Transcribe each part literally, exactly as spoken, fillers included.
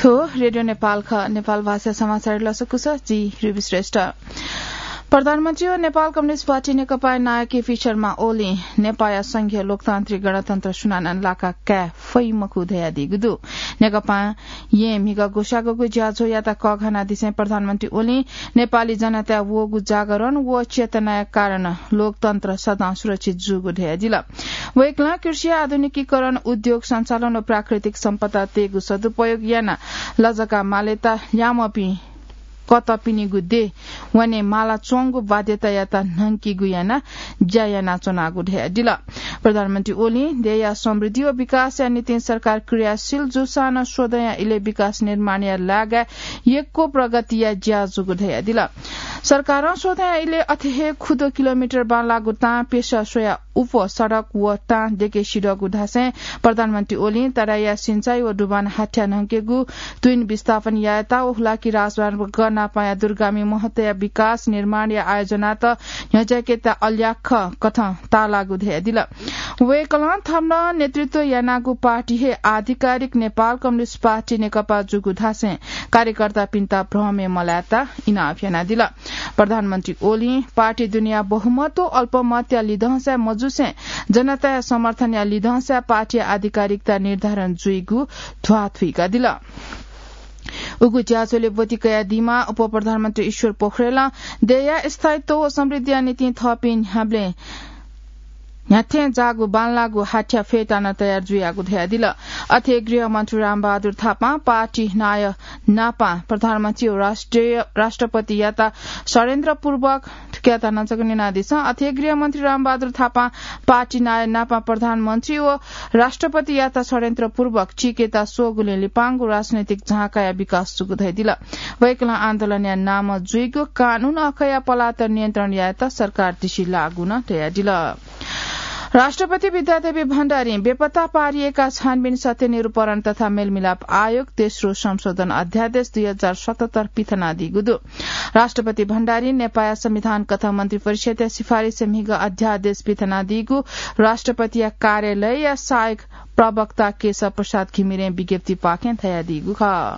थ्व रेडियो नेपाल खः। नेपाल भाषा समाचार लसकुस, जि रुबी श्रेष्ठ। प्रधानमन्त्री व नेपाल कम्युनिस्ट पार्टी नेकपाया नायः केपी शर्मा ओलीं नेपाःया संघीय लोकतान्त्रिक गणतन्त्र सुनानं लाका काये फइ मखु धयादीगु दु। नेकपां यें म्हिगः ग्वसाःगुगु ज्याझ्वःयात कःघानादिसें प्रधानमन्त्री ओलीं नेपाली जनताया वःगु जागरण व चेतनाया कारण लोकतन्त्र सदां सुरक्षित जूगु धयादिल। वय्कलं कृषिया आधुनिकीकरण, उद्योग सञ्चालन व प्राकृतिक सम्पदा तयेगु सदुपयोग यानाः लजगाः मालेत ल्याःम्हपिं कतःपिनिगु देय् वने मालाच्वंगु बाध्यतायात न्हंकीगु यानाः ज्या यानाच्वनागु धयादिल। प्रधानमन्त्री ओलीं देय्‌या समृद्धि व विकासया निंतिं सरकार क्रियाशील जूसां नं स्वदँया इलय् विकास निर्माणया लागाय् यक्व प्रगतिया ज्या जूगु धयादिल। सरकारं स्वदँया इलय् अथे हे खुदँ किलोमिटर बांलाःगु तां पेशा स्वयाः उप सडक व तां देके सिधःगु धासें प्रधानमन्त्री ओलीं तराईया सिंचाई व डुबान हाथ्या न्हंकेगु, तुइन विस्थापन यायेत व हुलाकी राजमार्ग नापंया दूरगामी महत्वया विकास निर्माणया आयोजनात न्ह्यज्याकेत अल्याख कथं ताःलाःगु धयादिल। वय्कलं थन नेतृत्व यानागु पार्टी हे आधिकारिक नेपाल कम्युनिस्ट पार्टी नेकपा जूगु धासें कार्यकर्तापिन्त भ्रमय् मलायेत इनाप यानादिल। प्रधानमन्त्री ओलीं पार्टी दुनेया बहुमत व अल्पमतया लिधंसाय् मजुसें जनताया समर्थनया लिधंसाय् पार्टीया आधिकारिकता निर्धारण जुइगु ध्वाथुइकादिल। उगु ज्याझ्वलय् ब्वति कयादीम्ह उपप्रधानमन्त्री ईश्वर पोखरेलं देय्‌या स्थायित्व व समृद्धिया निंतिं थःपिं न्ह्याबलें न्ह्याथें जाःगु बांलाःगु हाथ्या फय्तानं तयार जुयागु धयादिल। अथे गृहमन्त्री रामबहादुर थापां पार्टी नायः नापं प्रधानमन्त्री व राष्ट्रिय, राष्ट्रपतियात षड्यन्त्रपूर्वक थुकियात नं जक न्यनादिसँ। अथे गृहमन्त्री रामबहादुर थापां पार्टी नायः नापं प्रधानमन्त्री व राष्ट्रपतियात षड्यन्त्रपूर्वक चीकेत स्वःगुलिं लिपांगु राजनैतिक झाँकाया विकास जूगु धयादिल। वय्कलं आन्दोलनया नामं जुइगु कानून अखया पलात नियन्त्रण यायेत सरकार तिसि लाःगु नं धयादिल। राष्ट्रपति विद्यादेवी भण्डारीं बेपत्ता पारिएका छानबिन सत्य निरूपण तथा मेलमिलाप आयोग तेस्रो संशोधन अध्यादेश दुई हजार सतहत्तर पिथनादीगु दु। राष्ट्रपति भण्डारीं नेपाःया संविधान कथं मन्त्रिपरिषदया सिफारिसय् म्हिगः अध्यादेश पिथनादीगु राष्ट्रपतिया कार्यालयया सहायक प्रवक्ता केशव प्रसाद घिमिरें विज्ञप्तिपाखें धयादीगु खः।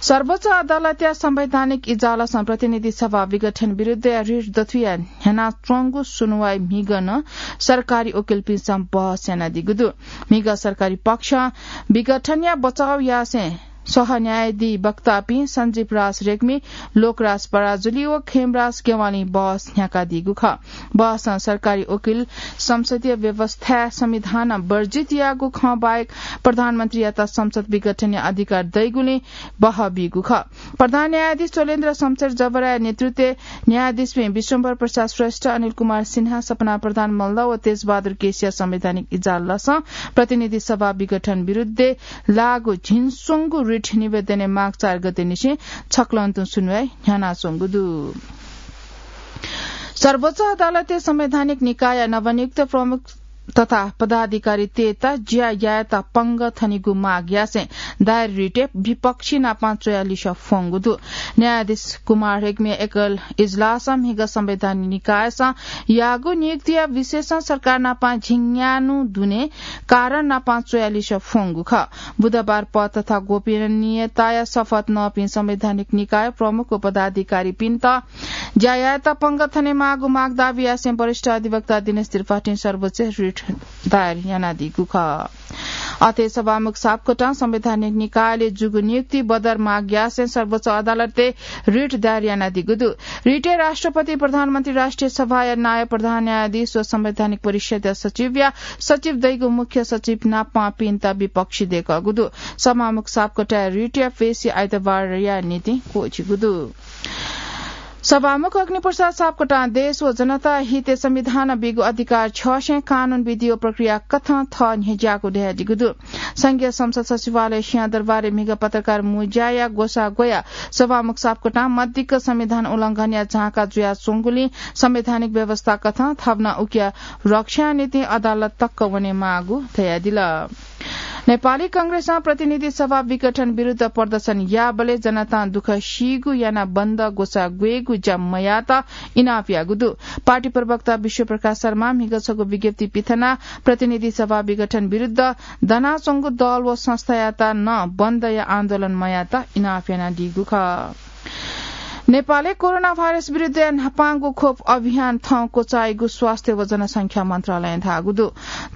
सर्वोच्च अदालतया संवैधानिक इजलासं प्रतिनिधि सभा विघटन विरुद्धया रिट दथुया न्ह्यानाच्वंगु सुनुवाइ म्हिगः नं सरकारी वकिलपिन्सं बहस यानादीगु दु। म्हिगः सरकारी पक्षं विघटनया बचाव यासें सह न्यायाधिवक्तापिं सञ्जीव राज रेग्मी, लोकराज पराजुली व खेमराज गेवालीं बहस न्ह्याकादीगु खः। बहसं सरकारी वकिल संसदीय व्यवस्थाय् संविधानं वर्जित याःगु खँ बाहेक प्रधानमन्त्रीयात संसद विघटनया अधिकार दइगुलिं बहः बीगु खः। प्रधान न्यायाधीश चोलेन्द्र शमशेर जबराया नेतृत्वय् न्यायाधीशपिं विश्वम्भर प्रसाद श्रेष्ठ, अनिल कुमार सिन्हा, सपना प्रधान मल्ल व तेजबहादुर केसीया संवैधानिक इजलासं प्रतिनिधि सभा विघटन विरुद्धय् लाःगु झिंस्वंगू रिट निवेदनय् माघ चार गतेनिसें छकलं तुं सुनुवाइ न्ह्यानाच्वंगु दु। सर्वोच्च अदालतय् संवैधानिक निकायया नवनियुक्त प्रमुख तथा पदाधिकारीतय्त ज्या यायेत पंगः थनेगु माग यासें दायर रिटय् विपक्षी नापं च्वया लिसः फ्वंगु दु। न्यायाधीश कुमार रेग्मीया एकल इजलासं म्हिगः संवैधानिक निकायसं याःगु नियुक्तिया विषयसं सरकार नापं झिंन्यान्हु दुने कारण नापं च्वया लिसः फ्वंगु खः। बुधबार पद तथा गोपनीयताया शपथ नःपिं संवैधानिक निकाय प्रमुख व पदाधिकारीपिन्त ज्या यायेत पंगः थनेमाःगु माग दाबी यासें वरिष्ठ अधिवक्ता दिनेश त्रिपाठीं सर्वोच्चय् रिट दायर यानादीगु खः। अथे सभामुख सापकोटां संवैधानिक निकायले जूगु नियुक्ति बदर माग यासें सर्वोच्च अदालतय् रिट दायर यानादीगु दु। रिटय् राष्ट्रपति, प्रधानमन्त्री, राष्ट्रिय सभाया नायः, प्रधान न्यायाधीश व संवैधानिक परिषदया सचिवया सचिव दइगु मुख्य सचिव नापंपिन्त विपक्षी दय्कःगु दु। सभामुख सापकोटाया रिटया पेशी आइतबारया निंतिं क्वःछिगु दु। सभामुख अग्निप्रसाद सापकोटां देश व जनता हितय् संविधानं बीगु अधिकार छ्यसें कानून विधि व प्रक्रिया कथं थः न्ह्यज्याःगु धयादीगु दु। संघीय संसद सचिवालय सिंहदरबारय् म्हिगः पत्रकार मुँज्याया ग्वसाः ग्वयाः सभामुख सापकोटां मदिक्क संविधान उल्लंघनया झाँका जुयाच्वंगुलिं संवैधानिक व्यवस्था कथं थवनाः उकिया रक्षाया निंतिं अदालत तक वनेमाःगु धयादिल। नेपाली कांग्रेसं प्रतिनिधि सभा विघटन विरुद्ध प्रदर्शन याःबलय् जनतां दुःख सीगु यानाः बन्द ग्वसाः ग्वयेगु ज्या मयाःत इनाप याःगु दु। पार्टी प्रवक्ता विश्वप्रकाश शर्मां म्हिगः छगू विज्ञप्ति पिथनाः प्रतिनिधि सभा विघटन विरुद्ध दनाच्वंगु दल व संस्थायात नं बन्दया आन्दोलन मयाःत इनाप यानादीगु खः। नेपालय् कोरोना भाइरस विरुद्धया न्हापांगु खोप अभियान थौं क्वचाइगु स्वास्थ्य व जनसंख्या मन्त्रालयं धाःगु दु।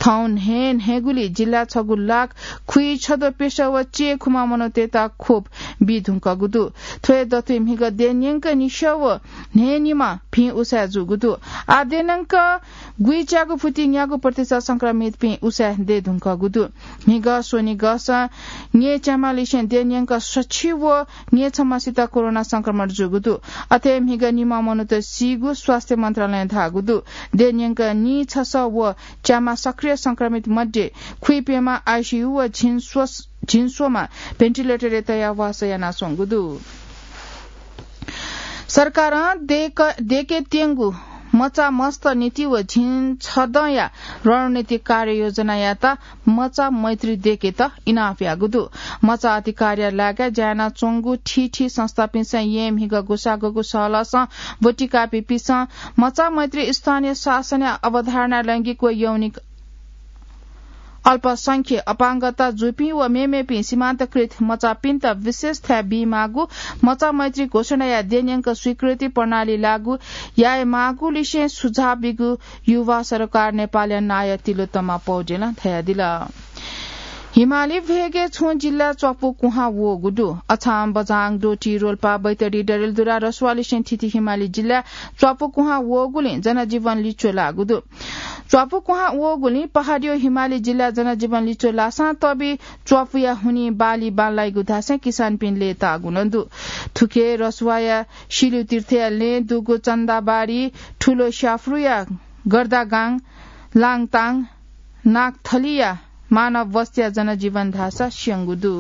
थौं न्हय् न्हय्गुली जिल्लाय् छगू लाख खुइछद्वः प्यसः व चय्खुम्ह मनूतय्त खोप बी धुंकूगु दु। थ्व हे दथुइ म्हिगः देय् न्यंक निसः व न्हय्निम्ह भिं उसाँय् जूगु दु। आः देय् न्यंक गुइच्यागू फुति न्यागू प्रतिशत संक्रमितपिं उसाँय् दये धुंकूगु दु। म्हिगः स्वनिगःसं न्यय्च्याम्हलिसें देय् न्यंक सछि व न्यय्छम्हसित कोरोना संक्रमण जूगु दु। अथे म्हिगः निम्ह मनूत सीगु स्वास्थ्य मन्त्रालयं धाःगु दु। देय् न्यंक नीछसः व च्याम्ह सक्रिय संक्रमित मध्ये खुइप्यम्ह आइसियु व झिंस्वस-, झिंस्वम्ह भेन्टिलेटरय् तयाः वासः यानाच्वंगु दु। सरकारं देय्क-, देय्केत्यंगु मचा मस्त नीति व झिंछदँया रणनीतिक कार्ययोजनायात मचा मैत्री देय्केत इनाप याःगु दु। मचा अधिकारया लागाय् ज्या यानाच्वंगु थीथी संस्थापिन्सं येँ म्हिगः ग्वसाः ग्वःगु सहलहसं ब्वति काःपिन्सं मचा मैत्री स्थानीय शासनया अवधारणा लैंगिक व यौनिक अल्पसंख्य, अपाङ्गता जूपिं व मेमेपिं सीमान्तकृत मचापिन्त विशेष थाय् बीमाःगु, मचा मैत्री घोषणाया देय् न्यंक स्वीकृति प्रणाली लागू यायेमाःगुलिसें सुझाव बीगु युवा सरोकार नेपालया नायः तिलोत्तमा पौडेलं धयादिल। हिमाली भेगय् छुं जिल्ला च्वापु कुहां वःगु दु। अछाम, बझाङ, डोटी, रोल्पा, बैतडी, डडेलधुरा, रसुवालिसें थीथी हिमाली जिल्ला च्वापु कुहां वःगुलिं जनजीवन लिच्वः लाःगु दु। च्वापु कुहां वःगुलिं पहाडीया हिमाली जिल्ला जनजीवन लिच्वः लाःसां तबि च्वापुया हुनिं बाली बांलाइगु धासें किसानपिं लय्ताःगु नं दु। थुखे रसुवाया सिल्यु तीर्थया लँय् दुगु चन्दाबारी, ठुलो स्याफ्रुया गर्दागाङ, लाङताङ, नागथलीया मानव बस्तीया जनजीवन धाःसा स्यंगु दु।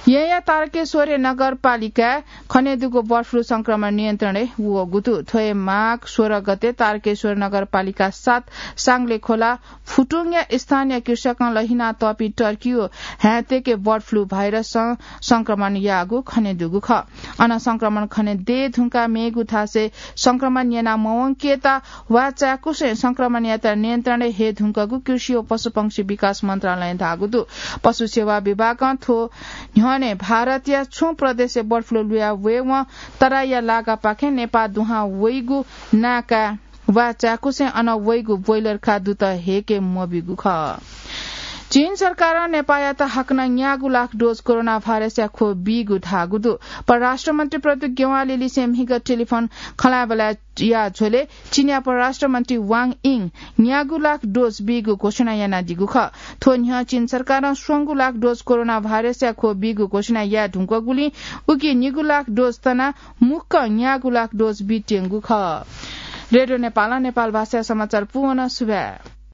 येँया तारकेश्वरया नगरपालिकाय् खनेदुगु बर्ड फ्लू संक्रमण नियन्त्रणय् वःगु दु। थ्व हे माघ सोह्र गते तारकेश्वर नगरपालिका सात सांगले खोला फुटुङया स्थानीय कृषकं लहिना तःपिं टर्कीया हाय्तय्के बर्ड फ्लू भाइरसं संक्रमण याःगु खनेदुगु खः। अन संक्रमण खने दये धुंकाः मेगु थासय् संक्रमण यना मवंकेत वा चाय्कुसें संक्रमणयात नियन्त्रणय् हये धुंकूगु कृषि व पशुपंक्षी विकास मन्त्रालयं धाःगु दु। पशु सेवा विभागं थ्व न्ह्यःने भारतया छुं प्रदेशय् बर्ड फ्लू लुया वयेवं तराईया लागापाखें नेपाः दुहां वइगु नाय्काय् वा चाय्कुसें अन वइगु ब्रोइलर काय् दुत हयेके मब्यूगु खः। चीन सरकारं नेपाःयात हाकनं न्यागू लाख डोज कोरोना भाइरसया ख्वः बीगु धाःगु दु। परराष्ट्र मन्त्री प्रदीप ज्ञवालीलिसें म्हिगः टेलिफोन खँल्हाबल्हाया झ्वलय् चीनया परराष्ट्र मन्त्री वाङ यिं न्यागू लाख डोज बीगु घोषणा यानादीगु खः। थ्व न्ह्यः चीन सरकारं स्वंगू लाख डोज कोरोना भाइरसया ख्वः बीगु घोषणा याये धुंकूगुलिं उकी निगू लाख डोज तनाः मुक्कं न्यागू लाख डोज बीत्यंगु खः। रेडियो नेपालं नेपाल भाषाया समाचार पूवन। सुभाय्।